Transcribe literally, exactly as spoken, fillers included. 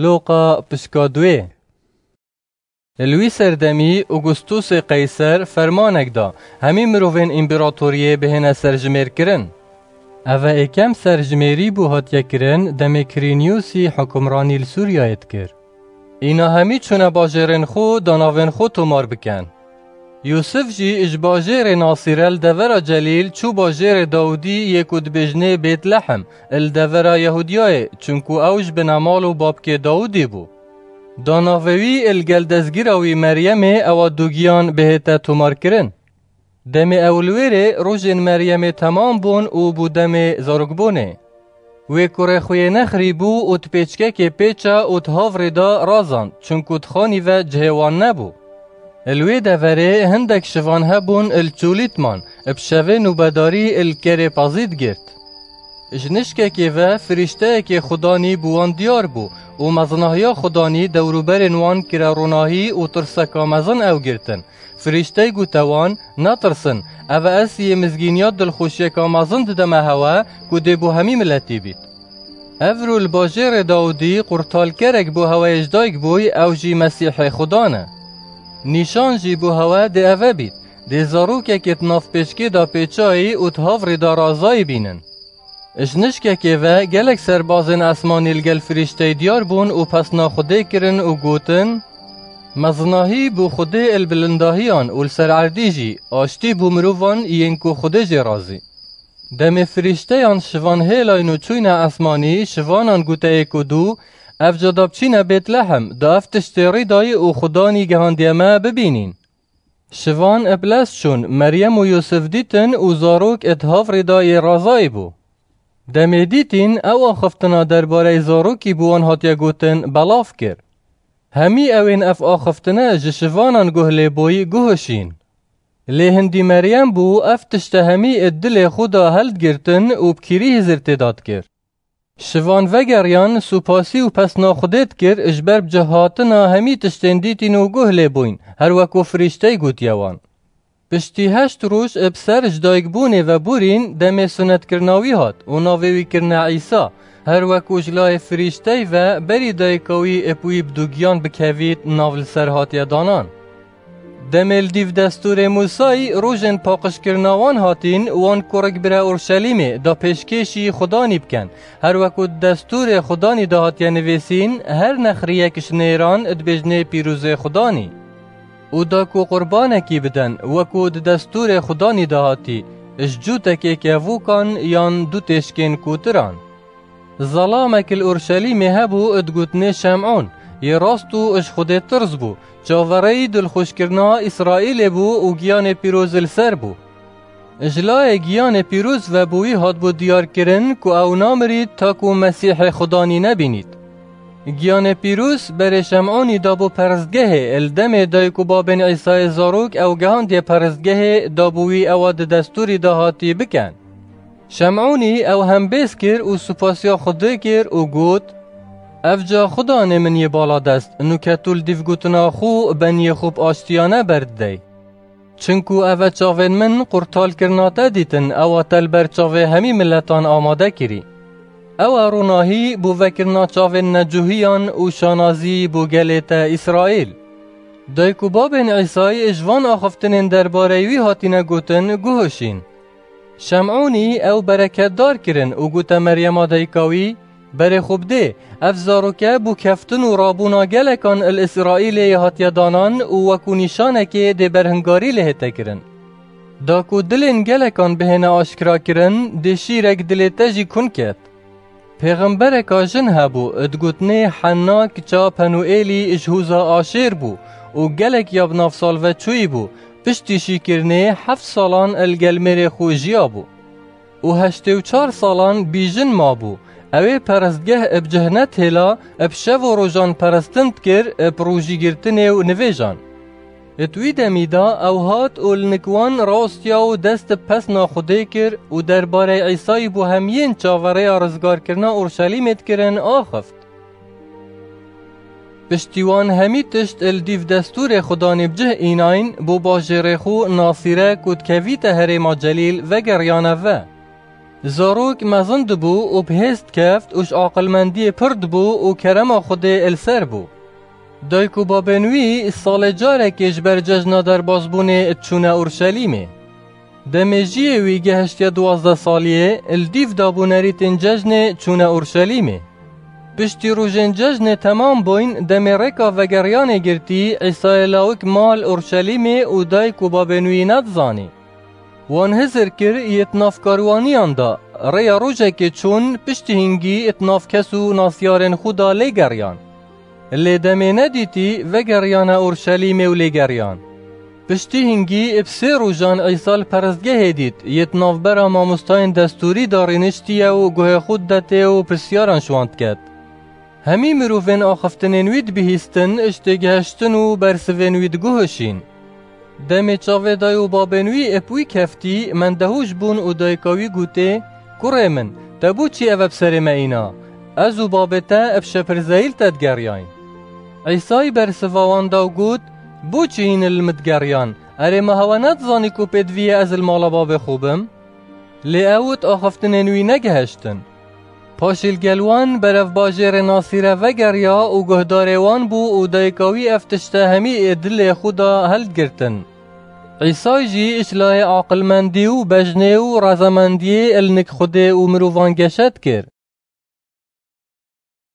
Loqa pişka duê. Li wî serdemî Augustusê Qeyser fermanek da, hemî mirovên împeratoriyê bihêne serjimêrkirin. Eve êkem serjimêrî bû hatiye kirin demê Kirîniyusî hukimranî li Sûriyeyê dikir. Îna hemî çûne bajêrên xwe da navên xwe tomar bikin. Yûsif jî ji bajêrê Nasîre li devera Celîl çû bajêrê Dawidî yê ku dibêjinê Bêtlehem, li devera Yehûdiyayê, çunku ew ji binemal û babkê Dawidî bû. Da navê wî li gel destgîra wî Meryemê ewa dugiyan bihête tomarkirin. Demê ew li wêrê rojên Meryemê temam bûn û bû demê zarokbûnê. Wê kurê xwe yê nexirî bû û di pêçkekê pêça û di havrê de razand, çunku di xanî ve cihê wan nebû. Li wê deverê hindek şivan hebûn li çolî diman, bi şevê nûbedarî li kerê pezî digirt. Ji nişkekê ve firîşteyekê Xudanî bi wan diyar bû û mezinahiya Xudanî dewrûberên wan kire ronahî û tirseka mezin ew girtin. Firîştey gote wan, Netirsin, eve ez yê mizgîniya dilxweşiyeka mezin dideme hewe ku dê bo hemî miletî bît. Evro li bajêrê Dawidî qurtalkerek bo heweyê ji dayik bûy, ew jî Mesîhê Xudan e. Nîşan jî bo hewe dê eve bît, dê zarokekê di nav pêçkê de pêçayî û di havrê de razayî bînin. Ji nişkekê ve gelek serbazên esmanî li gel firîşteyê diyar bûn û pesna Xwedê kirin û gotin, Mezinahî bo Xwedê li bilindahiyan û li ser erdî jî, aştî bo mirovan yên ku Xwedê jê razî. Demê firîşteyan şivan hêlayn û çûyne esmanî, şivanan gote yek û du, Ev ca da biçîne Bêtlehem, da ev tiştê rîdayî û Xudanî gehandiye me bibînîn. Şivan bi lez çûn, Meryem û Yûsif dîtin û zarok di havrê de yê razayî bû. Demê dîtîn ew axiftina derbareyê zarokî bi wan hatiye gotin, belav kir. Hemî ewên ev axiftine ji şivanan guh lê bûyî guhişîn. Lê hindî Meryem bû ev tişte hemî di dilê xwe de heldigirtin û bi kîrî hizir tê de dikir. Şivan vegeriyan, supasî û pesna Xwedê dikir ji ber bi cih hatina hemî tiştên dîtîn û guh lê bûyn, her wek ku firîştey gotiye wan. Piştî heşt roj bi ser ji dayikbûnê ve borîn demê sunetkirina wî hat û navê wî kirine Îsa, her wek ku ji layê firîştey ve berî dayika wî bi wî bi dugiyan bikevît nav li ser hatiye danan. Demê li dîv destûrê Mûsayî rojên paqijkirina wan hatîn, wan kurik bire Urşelîmê da pêşkêşî Xudanî bikin. Her weku di destûrê Xudanî de hatiye nivîsîn, her nexriyek ji nêran dibêjinê pîrozê Xudanî. Û da ku qurbanekî bidin, weku di destûrê Xudanî de hatî, ji cûtekê kevûkan yan du têşkên kotiran. Zelamek li Urşelîmê hebû, digotinê Şem'ûn, yê rast û ji Xwedê tirs bû, çaverêyî dilxweşkirina Îsraîlê bû û giyanê pîroz li ser bû. Ji layê giyanê pîroz ve bi wî hatbû diyarkirin ku ew namirît ta ku Mesîhê Xudanî nebînît. Giyanê pîroz berê Şem'ûnî dabû perestgehê, li demê dayik û babên Îsayê zarok ew gehandiye perestgehê, dabû wî ewa di destûrî de hatî bikin. Şem'ûnî ew hembêz kir û supasiya Xwedê kir û got, Ev ca Xudanê min yê baladest, nûke tu li dîv gotina xwe beniyê xwe bi aştiyane berdidey. Çinku eve çavên min qurtalkirina te dîtin, ewa te li ber çavê hemî miletan amade kirî. Ew e ronahî bo vekirina çavên necuhiyan û şanazî bo gelê te Îsraîl. Dayik û babên Îsayî ji van axiftinên derbareyî wî hatine gotin, guhişîn. Şem'ûnî ew bereketdar kirin û gote Meryema dayika wî, Berê xwe bidê, ev zaroke bo keftin û rabûna gelekan li Îsraîlê yê hatiye danan û wekû nîşanekê dê berhingarî lê hête kirin. Da ku dilên gelekan bihêne aşkira kirin, dê şîrek dilê te jî kun ket. Pêxembereka jin hebû, digotinê Henna kiça Penuêlî ji hûza Aşêr bû û gelek ya bi nav salve çûyî bû, piştî şîkirinê heft salan li gel mêrê xwe jiyabû. Û heştê û çar salan bî jin mabû. Ew ê perestgeh bi cih netihêla, bi şev û rojan perestin dikir, bi rojîgirtinê û nivêjan. Di wî demî de ew hat û li nik wan rastiya û dest bi pesna Xwedê kir û derbarê Îsayî bo hemiyên çaverêya rizgarkirina Urşelîmê dikirin axift. Piştî wan hemî tişt li dîv destûrê Xudanî bi cih înayn, bo bajêrê xwe Nasîre ku dikevîte herêma Celîl vegeriyane ve. Zarok mezin dibû û bi hêz dikeft û ji aqilmendiyê pir dibû û kerema Xwedê li ser bû. Dayik û babên wî salê carekê ji ber cejna derbasbûnê diçûne Urşelîmê. Demê jiyê wî gehiştiye duwazdeh saliyê, li dîv dabû nerîtên cejnê çûne Urşelîmê. Piştî rojên cejnê temam bûyn, demê rêka vegeriyanê girtî, Îsayê lawik mal Urşelîmê û dayik û babên wî nedizanî. Wan hizir kir yê di nav karwaniyan de, rêya rojekê çûn, piştî hingî di nav kes û nasyarên xwe de lê geriyan. Lê demê nedîtî, vegeriyane Urşelîmê û lê geriyan. Piştî hingî bi sê rojan Îsa li perestgehê dît, yê di navbera mamostayên destûrî de rîniştiye û guhê xwe didetê û pirsiyaran ji wan diket. Hemî mirovên axiftinên wî dibihîstin, ji têgihiştin û bersivên wî diguhişîn. Demê çavê dayik û babên wî bi wî keftî, mendehûş bûn û dayika wî gotê, Kurê min, te bo çi eve bi serê me îna? Ez û babê te bi şepirzeyî li te digeriyayn. Îsayî bersiva wan da û got, Bo çi hîn li min digeriyan? Erê, ma hewe nedizanî ku pêdivî ye ez li mala babê xwe bim? Lê ew di axiftinên wî negihiştin. Paşî li gel wan berevbajêrê Nasîre vegeriya û guhdarê wan bû û dayika wî ev tişte hemî ê dilê xwe de hildigirtin. Îsay jî ji layê aqilmendî û bejnê û razemendiyê li nik Xwedê û mirovan geşe dikir.